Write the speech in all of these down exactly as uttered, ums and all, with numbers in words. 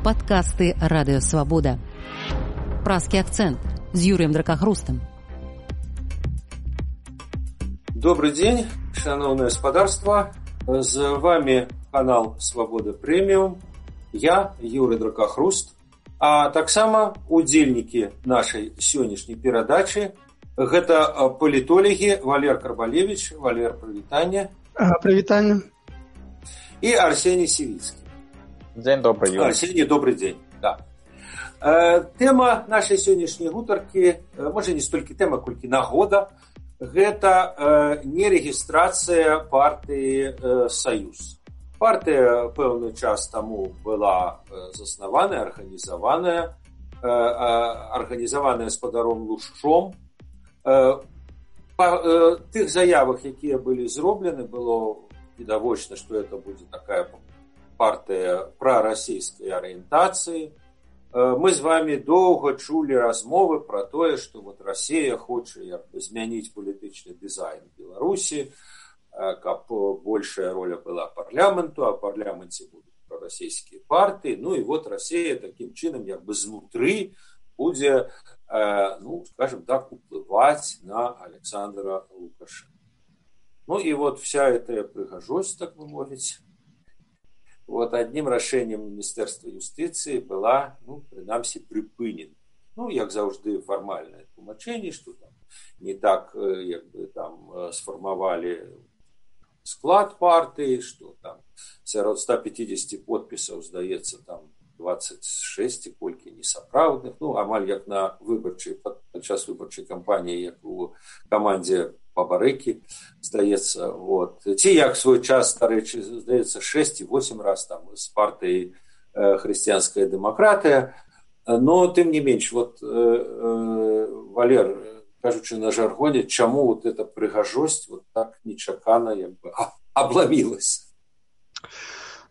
Падкасты Радыёвабода. Празкі акцэнт з Юрыем Дракахрустам. Добрый день, шановное господарство. С вами канал Свобода Премиум. Я, Юрий Дракахруст. А таксама удзельнікі нашай сённяшняй перадачы гэта палітолагі Валер Карбалевич. Валер, прывітанне. А, прывітанне. И Арсений Сивицкий. День добрый, Юрий. Арсений, добрый день. Да. Э, тема нашай сённяшняй гутаркі, э, можа не столькі тэма, колькі нагода, гэта э, нерэгістрацыя партыі э, «Саюз». Партыя пэўны час таму была э, заснаваная, арганізаваная, э, э, арганізаваная спадаром Лушчом. Э, па э, тых заявах, якія былі зроблены, было відавочна, што это будзе такая партыя прарасійскай арыентацыі. Мы з вами доўга чулі размовы пра тое, што вот Расія хоча як бы змяніць палітычны дызайн Беларусі, каб большая роля была парламенту, а парламенце будуць прарасійскія партыі. Ну і вот Расія такім чынам як бы знутры будзе, ну, скажем так, уплываць на Александра Лукашенка. Ну и вот вся эта прыгажосць, так бы мовіць, вот одним рашэннем Міністэрства юстыцыі была, ну, прынамсі, прыпынена. Ну, як заўжды, фармальнае тлумачэнне, што там не так, як бы, там сфармавалі склад партыі, што там сярод ста пятидесяти подпісаў, здаецца, там двадцать шесть і колькі несапраўдных, ну, амаль як на выбарчай, падчас выбарчай кампаніі, як у камандзе Бабарыкі, здаецца, вот. Ці як свой час, дарэчы, здаецца, шесть і восемь раз там з партыі э, хрысціянская дэмакратыя. Но, тым не менш, вот, э, э, Валер, кажучы на жаргоне, чаму вот эта прыгажосць вот так нечакана як бы абламілася?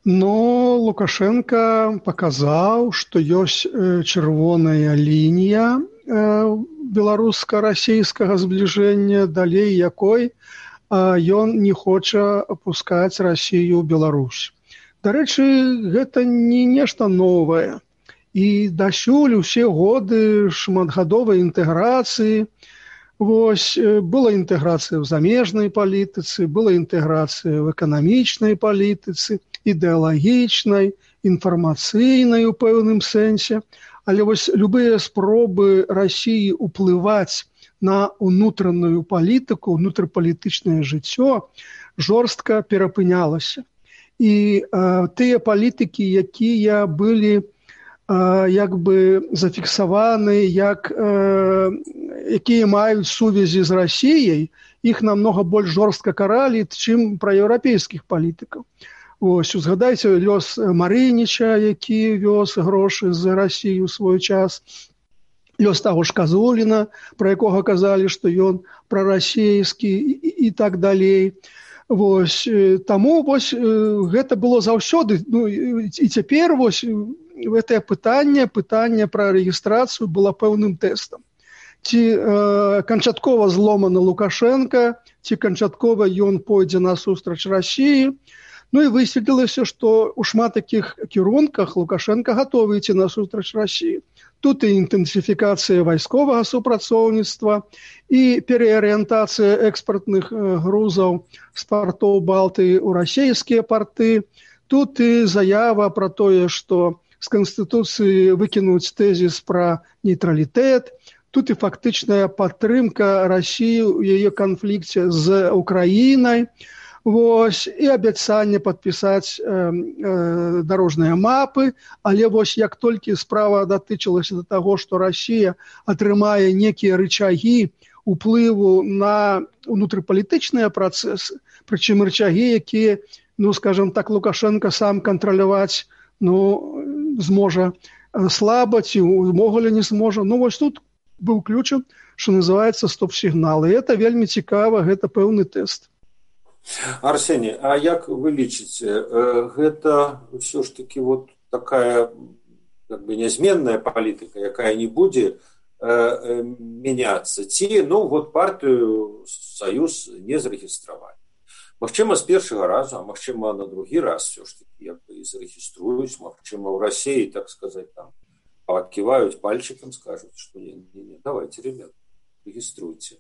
Ну, Лукашенко показаў, што ёсць э, чырвоная лінія э, беларуска-расійскага збліжэння, далей якой ён не хоча апускаць Расію ў Беларусь. Дарэчы, гэта не нешта новае. І дасюль усе годы шматгадовай інтэграцыі. Вось, была інтэграцыя ў замежнай палітыцы, была інтэграцыя ў эканамічнай палітыцы, ідэалагічнай, інфармацыйнай у пэўным сэнсе. Але вось любыя спробы Расіі ўплываць на ўнутраную палітыку, ўнутрапалітычнае жыццё жорстка перапынялася. І э, тыя палітыкі, якія былі э, як бы зафіксаваны, як, э, якія маюць сувязі з Расіяй, іх намнога больш жорстка каралі, чым пра еўрапейскіх палітыкаў. Ось, узгадайце лёс Марыніча, які вёз грошы з Расіі ў свой час, лёс таго ж Казуліна, пра якога казалі, што ён прарасійскі і, і так далей. Вось, таму вось, гэта было заўсёды, ну, і цяпер вось, гэтае пытанне, пытанне пра рэгістрацыю было пэўным тэстам. Ці э, канчаткова зломаны Лукашенка, ці канчаткова ён пойдзе насустрач Расіі. Ну і высветлілася, што ў шмат такіх кірунках Лукашенка гатовы ісці насустрач Расіі. Тут і інтэнсіфікацыя вайсковага супрацоўніцтва, і переарыентацыя экспартных грузаў з партоў Балтыі ў расійскія парты. Тут і заява пра тое, што з Канстытуцыі выкінуць тэзіс пра нейтралітэт. Тут і фактычная падтрымка Расіі ў яе канфлікце з Украінай. Вось, і абяцанне падпісаць э, э, дарожныя мапы, але вось як толькі справа датычылася да таго, што Расія атрымае некія рычагі уплыву на ўнутрыпалітычныя працэсы, прычым рычагі, якія, ну, скажам так, Лукашенко сам кантраляваць, ну, зможа слаба, ці ўвогуле не зможа. Ну, вось тут быў ключам, што называецца стоп-сігнал. І гэта вельмі цікава, гэта пэўны тэст. Арсений, а як вы лічыце, гэта ўсё ж таки вот такая как бы нязменная палітыка, якая не будзе э, мяняцца, ці, ну, вот партыю «Саюз» не зарэгістравалі. Магчыма, з першага разу, а магчыма, на другі раз все ж таки як бы і зарэгіструюць, магчыма, ў Расіі, так сказаць, там паківаюць пальчиком, скажуць, што не, не, не, давайте, ребят, рэгіструйце.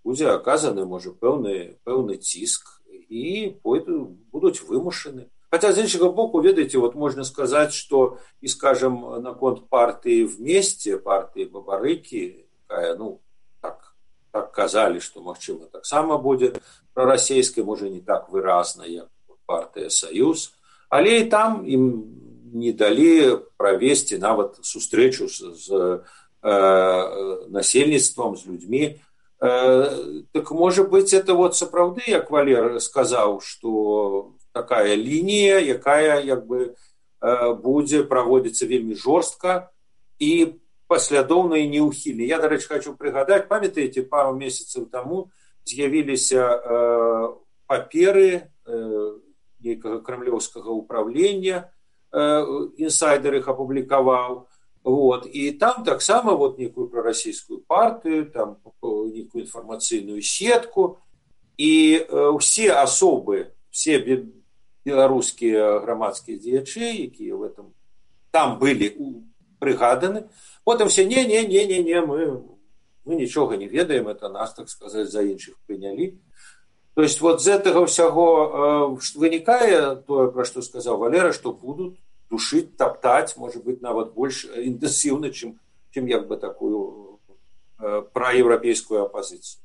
Будзе аказаны, можа, пэўны, пэўны ціск і пойду, будуць вымушаны. Хотя, з іншага боку, ведаеце, вот можно сказать, что, и, скажем, наконт партии «Вместе», партии Бабарыкі, якая, ну, так, так казали, что, магчыма, так само будет прорасійская, можа, не так выразна, як партия «Союз», але и там им не дали провести нават сустрэчу с, с э, насельніцтвом, с людьми. Э, так, может быть, это вот сапраўды, як Валер сказал, что такая лінія, якая як бы будзе праводзіцца вельмі жорстка і паслядоўна і неўхільна. Я, дарэчы, хочу прыгадаць, памятаеце, пару месяцаў таму з'явіліся э, паперы э, нейкага крамлёўскага ўправлення, э, інсайдер іх апублікаваў, вот, і там таксама вот нейкую прарасійскую партыю, там нейкую інфармацыйную сетку, і э, усе асобы, все беларускія грамадскія дзеячы, якія в этом там былі прыгаданы, потым все не не не не не мы мы нічога не ведаем, это нас, так сказать, за іншых прынялі. То есть вот з гэтага ўсяго э, вынікае тое, пра што сказаў Валера, што будуць душыць, таптаць, можа быць, нават больш інтэнсіўна, чым чым як бы такую э, праеўрапейскую апазіцыю.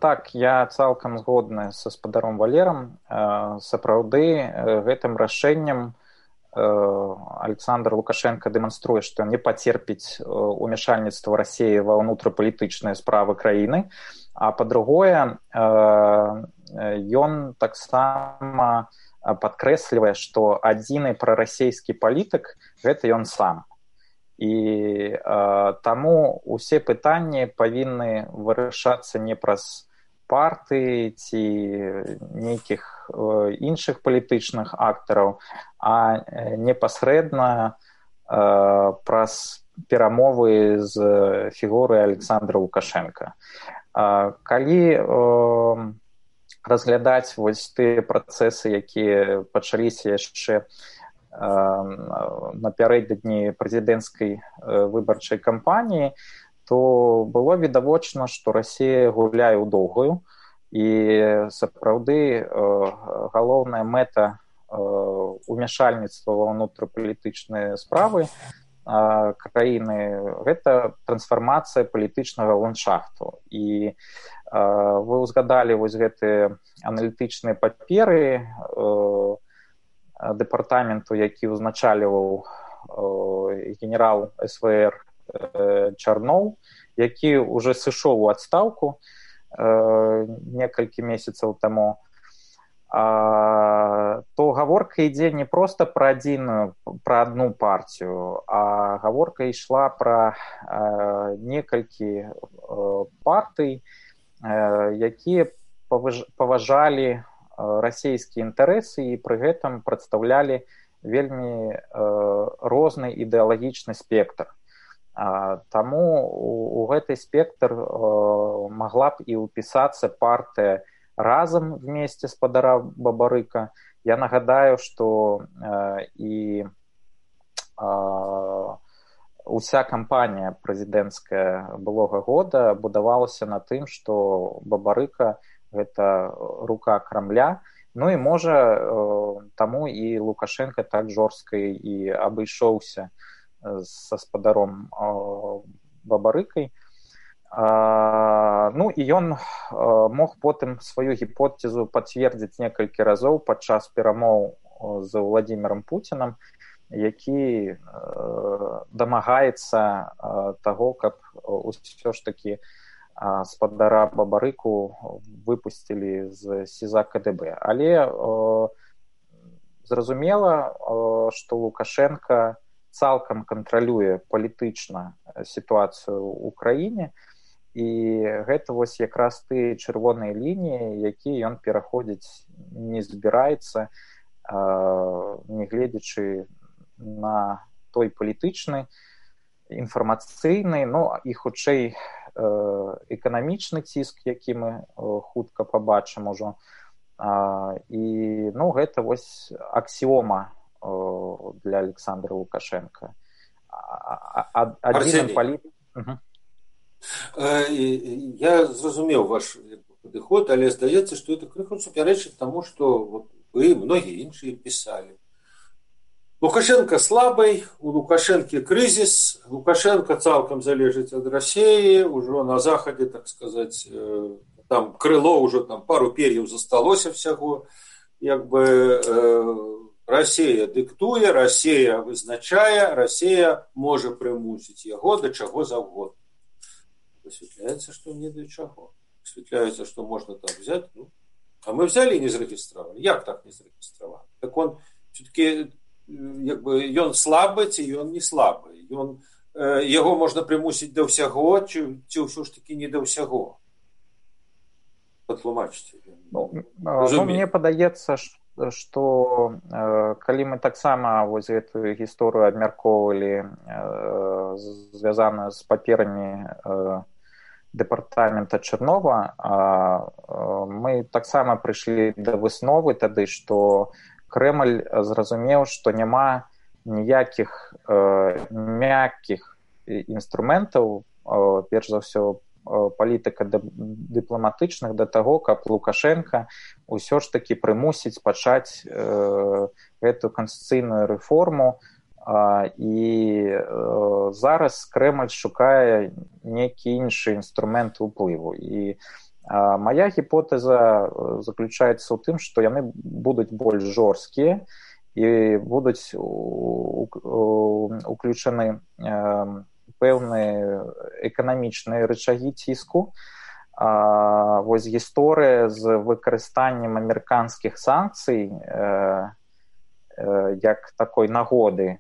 Так, я цалкам згодны са спадаром Валерам. Сапраўды, гэтым рашэннем Александр Лукашенко дэманструе, што не пацерпіць умяшальніцтва Расіі ва ўнутрапалітычныя справы краіны, а па-другое, ён таксама падкрэслівае, што адзіны прарасійскі палітык гэта ён сам. І э, таму усе пытанні павінны вырашацца не праз партыі ці нейкіх э, іншых палітычных актараў, а э, непасрэдна э, праз перамовы з фігурай Александра Лукашенка. Э, калі э, разглядаць вось тыя працэсы, якія пачаліся яшчэ напярэдадні прэзідэнцкай выбарчай кампаніі, то было відавочна, што Расія гуляе ў доўгую, і сапраўды галоўная мэта умяшальніцтва ва ўнутрапалітычныя справы краіны гэта трансфармацыя палітычнага ландшафту. І вы ўзгадалі вось гэтыя аналітычныя паперы дэпартаменту, які ўзначальваў генерал эс вэ эр Чарноў, які ўжо сышоў у адстаўку некалькі месяцаў таму, то гаворка ідзе не проста пра адзіную, пра адну партію, а гаворка ішла пра некалькі партый, якія паважалі расійскія інтарэсы і пры гэтым прадстаўлялі вельмі э, розны ідэалагічны спектр. А, таму у, у гэты спектр э, магла б і ўпісацца партыя «Разам» вместе спадара Бабарыка. Я нагадаю, што э, і э, уся кампанія прэзідэнцкая былога года будавалася на тым, што Бабарыка гэта рука Крамля, ну і можа таму і Лукашенко так жорстка і абышоўся са спадаром Бабарыкай. Ну і ён мог потым сваю гіпотэзу пацвердзіць некалькі разоў падчас перамоў з Владзімірам Пуцінам, які дамагаецца таго, каб усё ж такі спадара Бабарыку выпусцілі з СІЗА ка дэ бэ. Але э, зразумела, э, што Лукашенко цалкам кантралюе палітычна сітуацыю ў краіне, і гэта вось якраз тыя чырвоныя лініі, якія ён пераходзіць не збіраецца, э, нягледзячы на той палітычны, інфармацыйны, ну і хутчэй эканамічны ціск, які мы хутка пабачым ужо. І ну, гэта вось аксіома для Александра Лукашенка. Адзіным палітыкам. Угу. Я зразумеў ваш падыход, але здаецца, што это крыху супярэчыць таму, што вот вы, многія іншыя пісалі. Лукашенко слабый, у Лукашенко крызіс, Лукашенко цалкам залежыць ад Расіі, ужо на захадзе, так сказаць, там крыло ўжо там пару пер'яў засталося всяго, як бы Расія дыктуе, Расія вызначае, Расія можа прымусіць яго да чаго заўгодна. Высветляецца, што не да чаго. Высветляецца, што можна там взять, ну, а мы взяли і не зарэгістравалі. Як так не зарэгістравалі? Так он все-таки як бы ён слабы ці ён не слабы, ён э, яго можна прымусіць да ўсяго, ці, ці ўсё ж таки не да ўсяго. Патлумачце. Ну, ну, мне падаецца, што э, калі мы таксама вось гэтую гісторыю абмяркоўвалі, э, звязаную з паперамі э, дэпартамента Чэрнова, э, э, мы таксама прыйшлі да высновы тады, што Крэмль зразумеў, што няма ніякіх э, мяккіх інструментаў, э, перш за ўсё э, палітыка дыпламатычных да таго, каб Лукашенка ўсё ж такі прымусіць пачаць э, гэту канстытуцыйную рэформу, э, і э, зараз Крэмль шукае некі іншы інструмент уплыву. І моя гіпотэза заключаецца ў тым, што яны будуць больш жорсткія і будуць уключаны пэўныя эканамічныя рычагі ціску. Вось гісторыя з выкарыстаннем амерыканскіх санкцый як такой нагоды,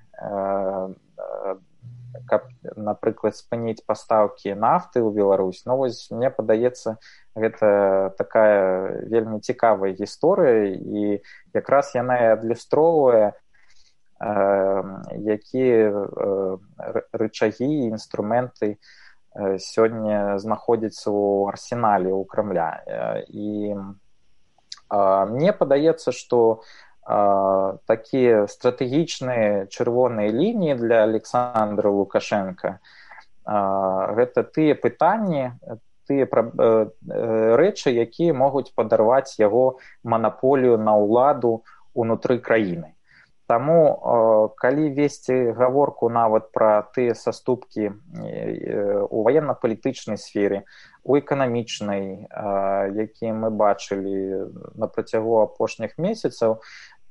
каб, напрыклад, спыніць пастаўкі нафты ў Беларусь. Ну, вось, мне падаецца, гэта такая вельмі цікавая гісторыя, і якраз яна і адлюстроўвае, э, якія э, рычагі і інструменты э, сёння знаходзяцца ў арсенале ў Крамля. І э, мне падаецца, што такія стратэгічныя чырвоныя лініі для Александра Лукашенка гэта тыя пытанні, тыя рэчы, якія могуць падарваць яго манаполію на ўладу ўнутры краіны. Таму, калі весці гаворку нават пра тыя саступкі у ваенна-палітычнай сферы, у эканамічнай, якія мы бачылі на працягу апошніх месяцаў,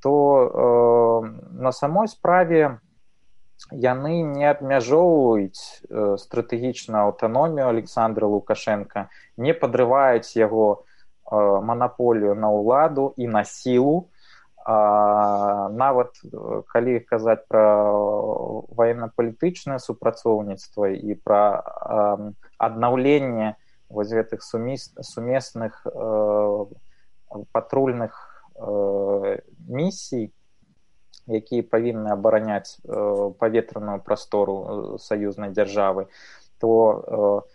то э, на самой справе яны не абмяжоўваюць э, стратэгічную аўтаномію Александра Лукашенка, не падрываюць яго э, манаполію на ўладу і на сілу. А, нават калі казаць пра ваенна-палітычнае супрацоўніцтва і пра э, аднаўленне вось гэтых сумес, сумесных э, патрульных місій, якія павінны абараняць паветраную прастору саюзнай дзяржавы, то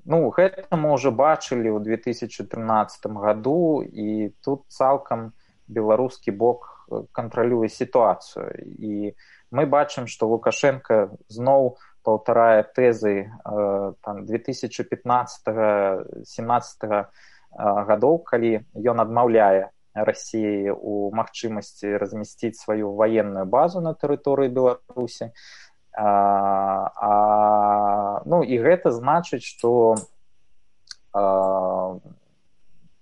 ну, гэта мы ўжо бачылі ў две тысячы трынаццатым году, і тут цалкам беларускі бок кантралюе сітуацыю. І мы бачым, што Лукашенко зноў паўтарае тэзы там, две тысячи пятнадцатого — семнадцатого гадоў, калі ён адмаўляе Расіі у магчымасці размясціць сваю ваенную базу на тэрыторыі Беларусі. А, а, ну, і гэта значыць, што а,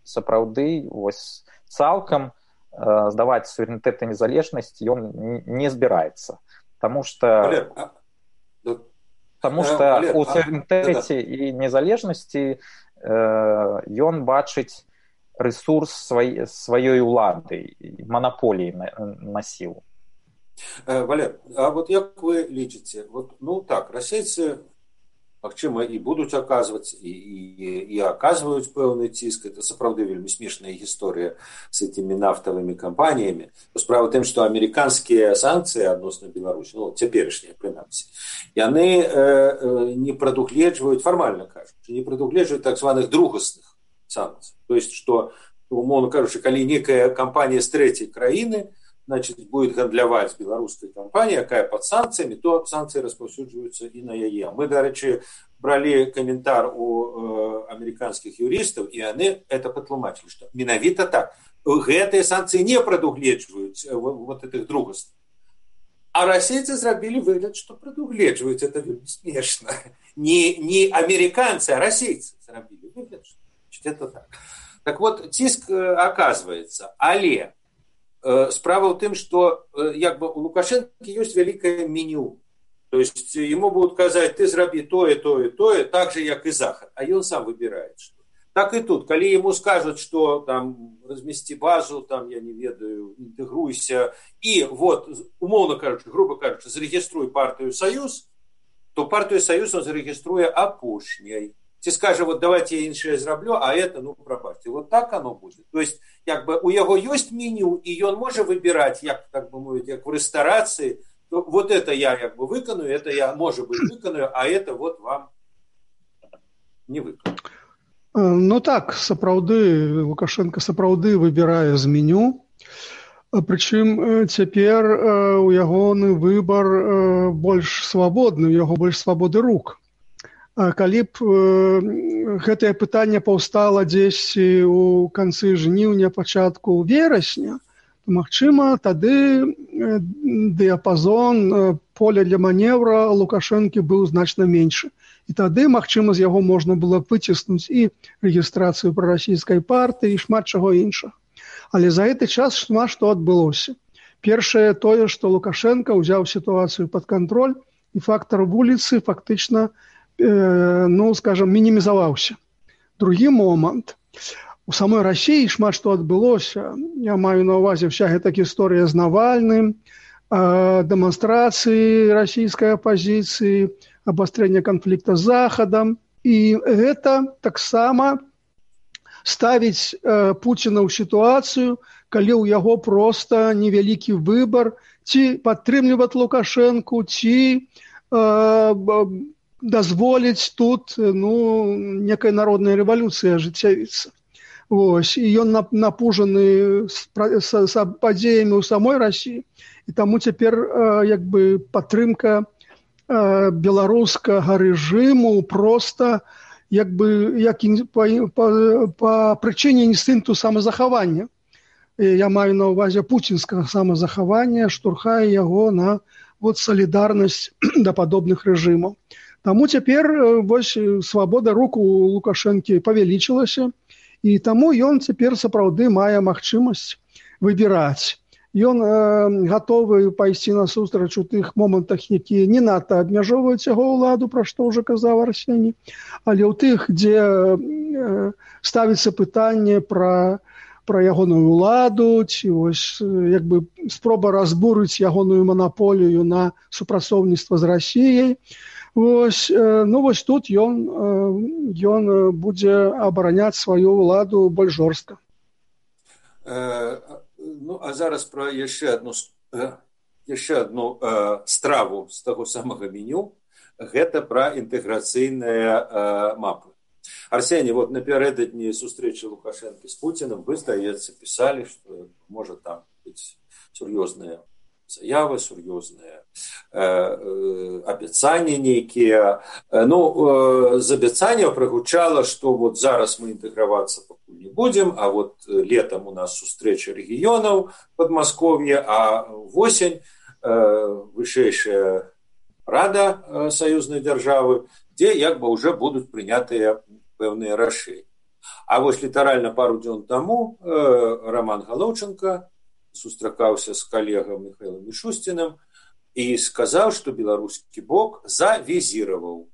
сапраўды вось, цалкам а, здаваць суверэнітэт і незалежнасць ён не збіраецца. Таму што Таму што у суверэнітэце і незалежнасці э, ён бачыць ресурс свай, сваёй улады, монополии на, на силу. Валер, а вот як вы лічыце, вот, ну так, расейцы магчыма, і будуць аказваць, і, і, і аказваюць пэўны ціск. Это сапраўды вельмі смешная гісторыя з этими нафтавымі кампаніямі. Справа ў тым, што амерыканскія санкцыі адносна Беларусі, ну, цяперашнія, прынамсі, яны э, не прадугледжваюць, фармальна кажучы, не прадугледжваюць так званых другасных санкцый. То есть, што, умоўно кажучы, калі некая кампанія з трэцяй краіны, значит, будет гандляваць з беларускай кампаніяй, якая пад санкцыямі, то санкцыі распаўсюджваюцца і на яе. Мы, дарэчы, бралі каментар у э, амерыканскіх юрыстаў, і яны это патлумачылі, што менавіта так. Гэтыя санкцыі не прадугледжваюць э, вот этих другасных. А расейцы зрабілі выгляд, што прадугледжваюць. Это вельмі смешна. Не, не амерыканцы, а расейцы зрабілі выгляд, што это так. Так вот, ціск э, оказваецца, але э, справа ў тым, што э, як бы у Лукашэнкі ёсць вялікае меню. То есть ему будут казаць, ты зрабі тое, тое, тое, так же, як і Захад. А ён сам выбирает, что. Так и тут, калі ему скажут, что там размести базу, там, я не ведаю, интегруйся, и вот, умовно кажучи, грубо кажучи, зарегиструй партию «Союз», то партию «Союз» он зарегиструе апошняй. Ці скажа, вот давайте я іншае зраблю, а это, ну, прабачце. Вот так оно будет. То есть, як бы, у яго ёсць меню, и ён можа выбирать, як, так бы мовіць, як в ресторации, то вот это я, як бы, выканую, это я, может быть, выканую, а это вот вам не выканую. Ну так, сапраўды, Лукашенко сапраўды выбірае з меню. Прычым цяпер у ягоны выбар больш свабодны, у яго больш свабоды рук. Калі б гэтае пытанне паўстала дзесьці ў канцы жніўня, пачатку верасня, то, магчыма, тады дыяпазон поля для маневра Лукашэнкі быў значна меншы. І тады, магчыма, з яго можна было выціснуць і рэгістрацыю прарасійскай партыі, і шмат чаго іншага. Але за гэты час шмат што адбылося. Першае тое, што Лукашенко ўзяў сітуацыю пад кантроль, і фактар вуліцы фактычна, э, ну, скажам, мінімізаваўся. Другі момант. У самой Расіі шмат што адбылося. Я маю на ўвазе вся гэта гісторыя з Навальным, э, дэманстрацыі расійскай апазіцыі, абастрэнне канфлікта з Захадам. І гэта таксама ставіць э, Пуціна ў сітуацыю, калі ў яго проста невялікі выбар, ці падтрымліваць Лукашэнку, ці э, дазволіць тут, ну, некай народнай рэвалюцыі ажыццявіцца. Вось. І ён напужаны з, з, з падзеямі ў самой Расіі, і таму цяпер э, як бы падтрымка э, беларускага рэжыму проста як бы як па, па, па прычыне інстынкту самазахавання. Я маю на ўвазе пуцінскага самазахавання, штурхае яго на вот салідарнасць да падобных рэжымаў. Таму цяпер вось свабода рук у Лукашэнкі павялічылася, і таму ён цяпер сапраўды мае магчымасць выбіраць. Ён э, гатовы пайсці насустрач у тых момантах, якія не надта абмяжоўваюць яго ўладу, пра што ўжо казаў Арсеній, але ў тых, дзе э, ставіцца пытанне пра, пра ягоную ўладу, ці вось, як бы спроба разбурыць ягоную манаполію на супрацоўніцтва з Расіяй. Вось, э, ну вось тут ён, э, ён будзе абараняць сваю ўладу больш жорстка. Ну, а зараз про яшчэ одну, яшчэ одну э, страву з таго самага меню. Гэта пра інтэграцыйныя э, мапы. Арсеній, вот напярэдадні сустрэчы Лукашэнкі з Пуціным вы, здаецца, пісалі, што можа там быць сур'ёзныя заявы, сур'ёзныя э, э, абяцанні нейкія. Ну, э, з абяцанняў прагучала, што вот зараз мы інтэгравацца пакуль не будзем, а вот летом у нас сустрэча рэгіёнаў Падмасков'я, а восень э, вышэйшая рада э, саюзнай дзяржавы, дзе як бы ўжо будуць прынятыя пэўныя рашэнні. А вось літаральна пару дзён таму э, Роман Галоўченко сустракаўся з калегам Михайлом Мишустиным і сказаў, што беларускі бок завізіраваў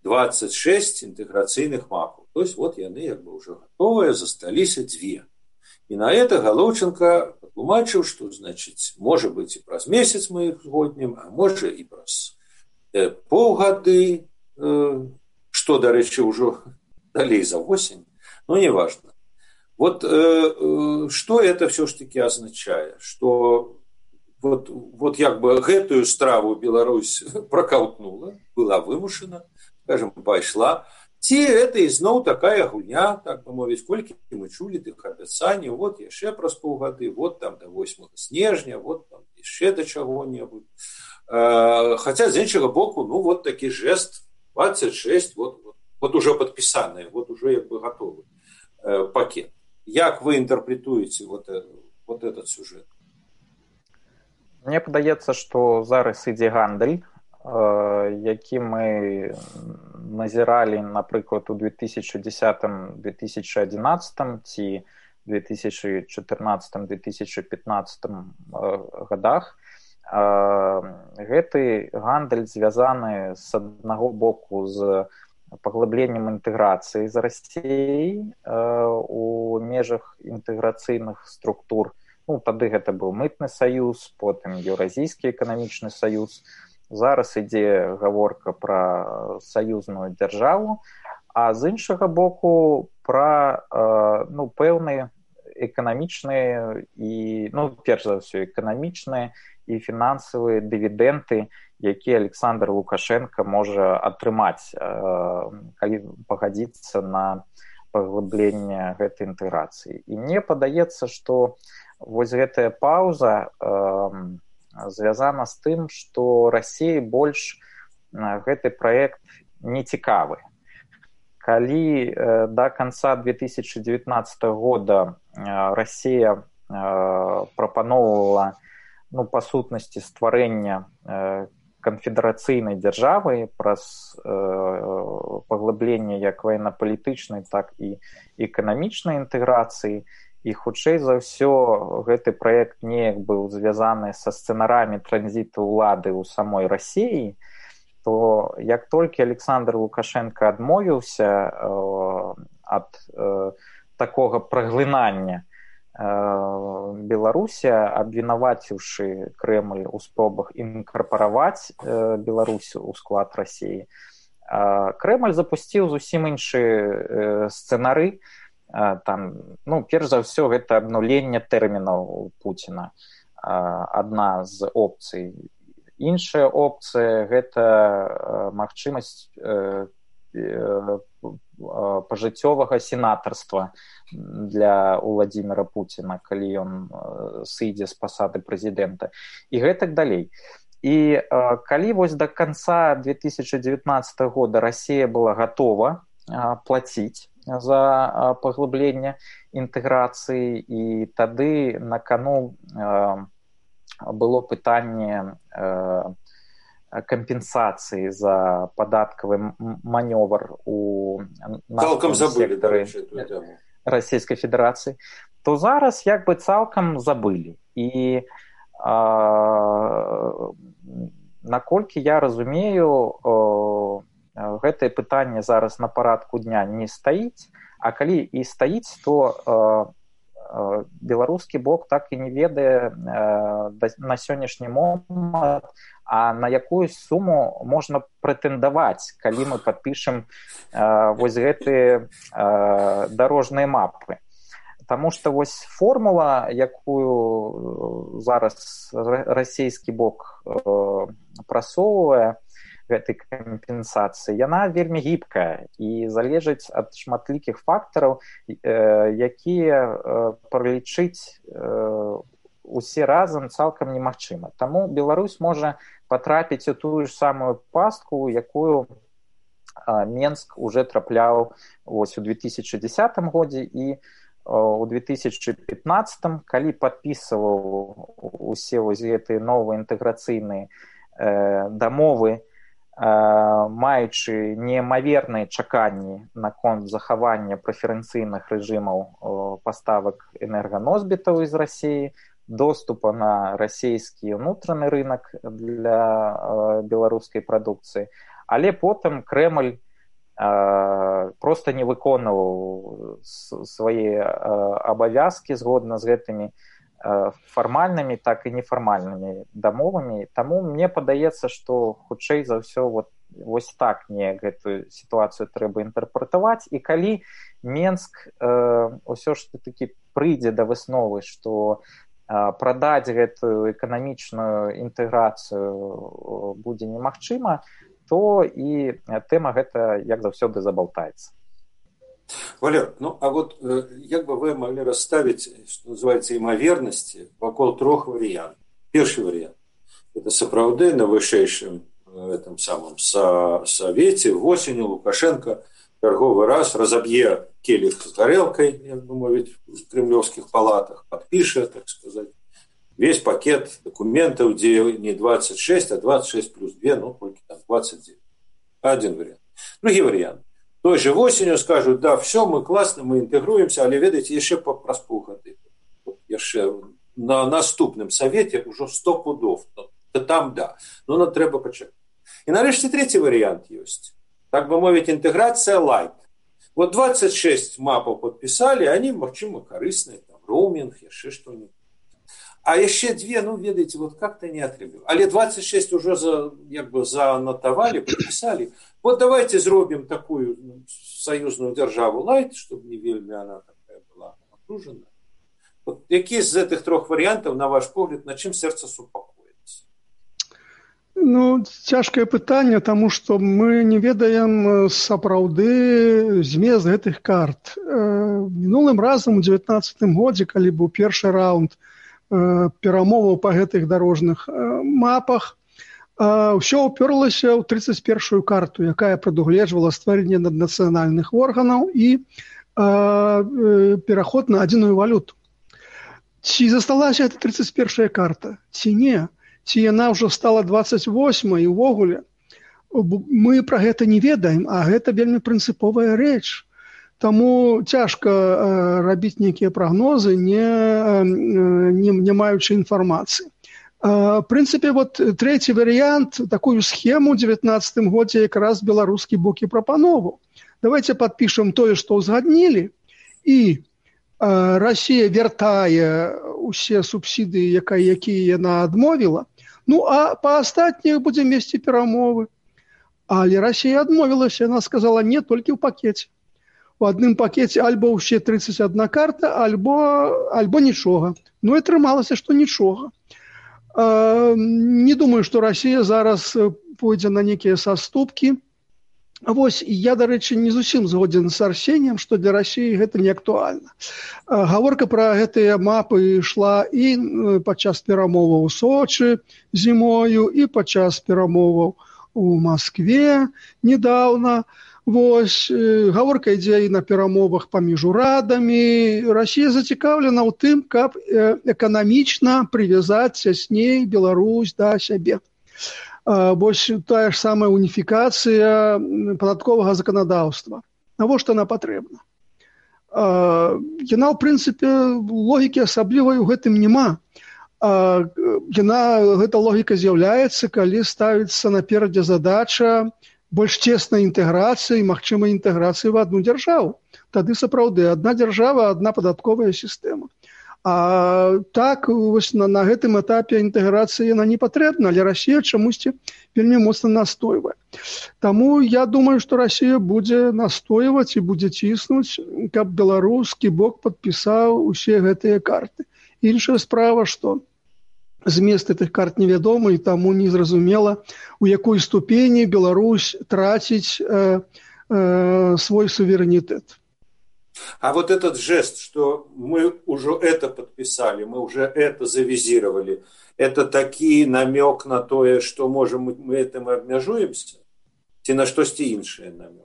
двадцать шесть інтэграцыйных мапаў. То есть вот яны як бы ўжо гатовыя, засталіся дзве. І на это Галоўченко патлумачыў, што, значыць, можа быць і праз месяц мы іх згоднім, а можа і праз э, паўгады, что, дарэчы, ўжо далей за восень, но не важно. Вот что это все ж таки означает, что вот, вот як бы гэтую страву Беларусь проколтнула, была вымушана, скажем, пайшла, ці это ізноў такая гульня, так бы мовіць, колькі мы чулі тых абяцанняў, вот яшчэ праз паўгады, вот там до восьмага снежня, вот там яшчэ да чаго-небудзь. Хаця з іншага боку, ну вот такі жест двадцать шесть, вот, вот, вот уже падпісаныя, вот уже як бы готовы пакет. Як вы інтэрпрэтуеце вот, вот этот сюжет? Мне падаецца, што зараз ідзе гандаль, які мы назіралі, напрыклад, у две тысячи десятом — две тысячи одиннадцатом ці две тысячи четырнадцатом — две тысячи пятнадцатом годах. Гэты гандаль звязаны з аднаго боку з паглыбленнем інтэграцыі з Расіяй у межах інтэграцыйных структур. Ну, тады гэта быў мытны саюз, потым Еўразійскі эканамічны саюз. Зараз ідзе гаворка пра саюзную дзяржаву, а з іншага боку пра ну, пэўныя эканамічныя і, ну, перш за ўсё, эканамічныя і фінансавыя дывідэнты, якія Александр Лукашенко можа атрымаць, калі пагадзіцца на паглыбленне гэтай інтэграцыі. І мне падаецца, што вось гэтая паўза звязана з тым, што Расіі больш гэты праект не цікавы. Калі да канца две тысячи девятнадцатого года Расія прапаноўвала, ну, па сутнасці стварэння канфедэрацыйнай дзяржавы праз паглыбленне як ваенна-палітычнай, так і эканамічнай інтэграцыі, і хутчэй за ўсё гэты праект неяк быў звязаны са сцэнарамі транзіту ўлады ў самой Расіі, то як толькі Александр Лукашенко адмовіўся ад такога праглынання Беларусі, абвінаваціўшы Крэмль у спробах інкарпараваць Беларусь у склад Расіі, Крэмль запусціў зусім іншы сцэнары. Там, ну, перш за ўсё, гэта абнуленне тэрмінаў Пуціна, адна з опцый. Іншая опцыя – гэта магчымасць пажыццёвага сенатарства для Владимира Пуціна, калі ён сыдзе з пасады прэзідэнта, і гэтак далей. І калі вось да канца две тысячи девятнадцатого года Расія была гатова плаціць за паглыбленне інтэграцыі, і тады на кону было пытанне кампенсацыі за падаткавы манёвр у нафтавым сектары Расійскай Федэрацыі, то зараз як бы цалкам забылі. І наколькі я разумею, гэтае пытанне зараз на парадку дня не стаіць, а калі і стаіць, то беларускі бок так і не ведае на сённяшні момант, а на якую суму можна прэтэндаваць, калі мы падпішам вось гэтыя дарожныя мапы. Таму што вось формула, якую зараз расійскі бок прасоўвае, гэтай кампенсацыі, яна вельмі гібкая і залежыць ад шматлікіх фактараў, якія пралічыць усе разам цалкам немагчыма. Таму Беларусь можа патрапіць у тую ж самую пастку, якую Менск уже трапляў вось у две тысячи десятом годзе і у две тысячи пятнадцатом, калі падпісваў усе вось гэтыя новыя інтэграцыйныя дамовы, маючы неимаверныя чаканні наконт захавання прэферэнцыйных рэжымаў паставак энерганосьбітаў з Расіі, доступа на расійскі ўнутраны рынок для беларускай прадукцыі. Але потым Крэмль проста не выконваў свае абавязкі згодна з гэтымі фармальнымі, так і нефармальнымі дамовамі. Таму мне падаецца, што хутчэй за ўсё вот вось так мне гэтую сітуацыю трэба інтэрпрэтаваць. І калі Менск э, ўсё ж такі прыйдзе да высновы, што э, прадаць гэтую эканамічную інтэграцыю будзе немагчыма, то і тэма гэта, як заўсёды, забалтаецца. Валер, ну а вот э, як бы вы могли расставить, что называется, імавернасці вакол трох варыянтаў. Першы варыянт – это сапраўды на вышэйшым этом самом Совете восенью Лукашенко черговый раз разобье келих с горелкой, як бы мовить, в кремлевских палатах, подпишет, так сказать, весь пакет документов, где не двадцать шесть, а двадцать шесть плюс два, ну, только там двадцать девять. Один вариант. Другой вариант. Той же осенью скажут, да, все, мы классно, мы интегруемся, але, ведаете, еще праз полгады. Еще на наступном совете уже сто пудов. Да там, да. Но нам треба почекать. І нарешті третій варіант є. Так би мовити, інтеграція лайт. Вот двадцать шесть мапов подписали, они, мовчимо, корыстные, там, роуминг, еще что-нибудь. А еще две, ну, видите, вот как-то не отребил. Але двадцать шесть уже за, як бы, занотовали, подписали. Вот давайте зробим такую союзную державу лайт, чтобы не вельми она такая была окружена. Вот какие из этих трех вариантов, на ваш погляд, на чем сердце супокоится? Ну, цяжкае пытанне, таму што мы не ведаем сапраўды змест гэтых карт. Мінулым разам у дзевятнаццатым годзе, калі быў першы раунд перамоваў па гэтых дарожных мапах, ўсё ўпёрлася ў трыццаць першую карту, якая прадугледжвала стварэнне наднацыянальных органаў і пераход на адзіную валюту. Ці засталася эта трыццаць першая карта, ці не? Ці яна ўжо стала двадцать восьмай, і ўвогуле мы пра гэта не ведаем, а гэта вельмі прынцыповая рэч. Таму цяжка э, рабіць нейкія прагнозы, не, не, не маючы інфармацыі. Э, в прынцыпе, вот трэці варыянт, такую схему ў дзевятнаццатым годзе якраз беларускі бок і прапановаў. Давайте падпішам тое, што ўзгаднілі, і э, Расія вяртае усе субсідыі, якія яна адмовіла. Ну, а па астатніх будзем весці перамовы. Але Расія адмовілася, яна сказала не толькі ў пакеце. У адным пакеце альбо ўсе трыццаць адна карта, альбо, альбо нічога. Ну, і атрымалася, што нічога. Э, не думаю, што Расія зараз пойдзе на нейкія саступкі. Вось, я, дарэчы, не зусім згодзін з Арсеніем, што для Расіі гэта не актуальна. Гаворка пра гэтыя мапы ішла і падчас перамоваў у Сочы зімою, і падчас перамоваў у Маскве недаўна. Вось, гаворка ідзе і на перамовах паміж урадамі. Расія зацікаўлена ў тым, каб эканамічна прывязаць цясней Беларусь да сябе. Вось тая ж самая уніфікацыя падатковага заканадаўства. Навошта она патрэбна? Яна, ў прынцыпе, логікі асаблівай у гэтым няма. Яна, гэта логіка з'яўляецца, калі ставіцца наперадзе задача больш цеснай інтэграцыі, магчымай інтэграцыі в адну дзяржаву. Тады сапраўды адна дзяржава, адна падатковая сістэма. А так, вось на, на гэтым этапе інтэграцыі яна не патрэбна, але Расія чамусьці вельмі моцна настойвае. Таму я думаю, што Расія будзе настойваць і будзе ціснуць, каб беларускі бок падпісаў усе гэтыя карты. Іншая справа, што змест гэтых карт невядомы, і таму незразумела, у якой ступені Беларусь траціць э, э, свой суверэнітэт. А вот этот жест, что мы уже это подписали, мы уже это завизировали, это таки намек на то, что можем мы этим обмежуемся? Ці на штосьці іншае намек?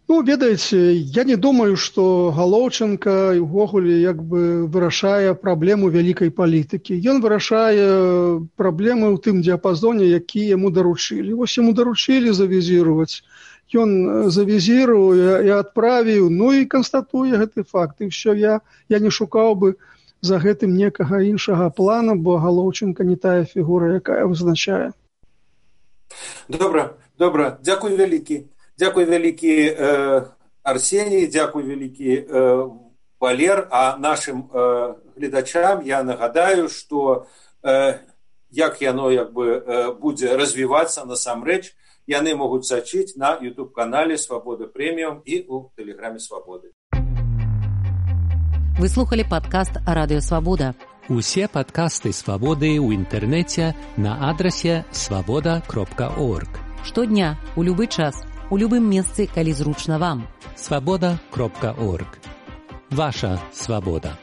Ну, ведаеце, я не думаю, што Галоўченка ўвогуле як бы вырашае праблему вялікай палітыкі. Ён вырашае праблемы ў тым дыяпазоне, які яму даручылі. Вось яму даручылі завізіраваць. Ён завізіруе і адправіў, ну і канстатуе гэты факт. І ўсё, я, я не шукаў бы за гэтым некага іншага плана, бо Галоўченка не тая фігура, якая вызначае. Добра, добра. Дзякуй вялікі. Дзякуй вялікі э, Арсеній, дзякуй вялікі э, Валер. А нашим э, гледачам я нагадаю, што э, як яно як бы, э, будзе развівацца насамрэч, яны могуць сачыць на YouTube-канале «Свабода Прэміум» і ў тэлеграме «Свабоды». Вы слухали падкаст «Радыё Свабода». Усе падкасты «Свабоды» ў інтэрнэце на адрасе свабода кропка орг. Штодня, у любы час, у любым месцы, калі зручна вам. свабода кропка орг. Ваша свабода.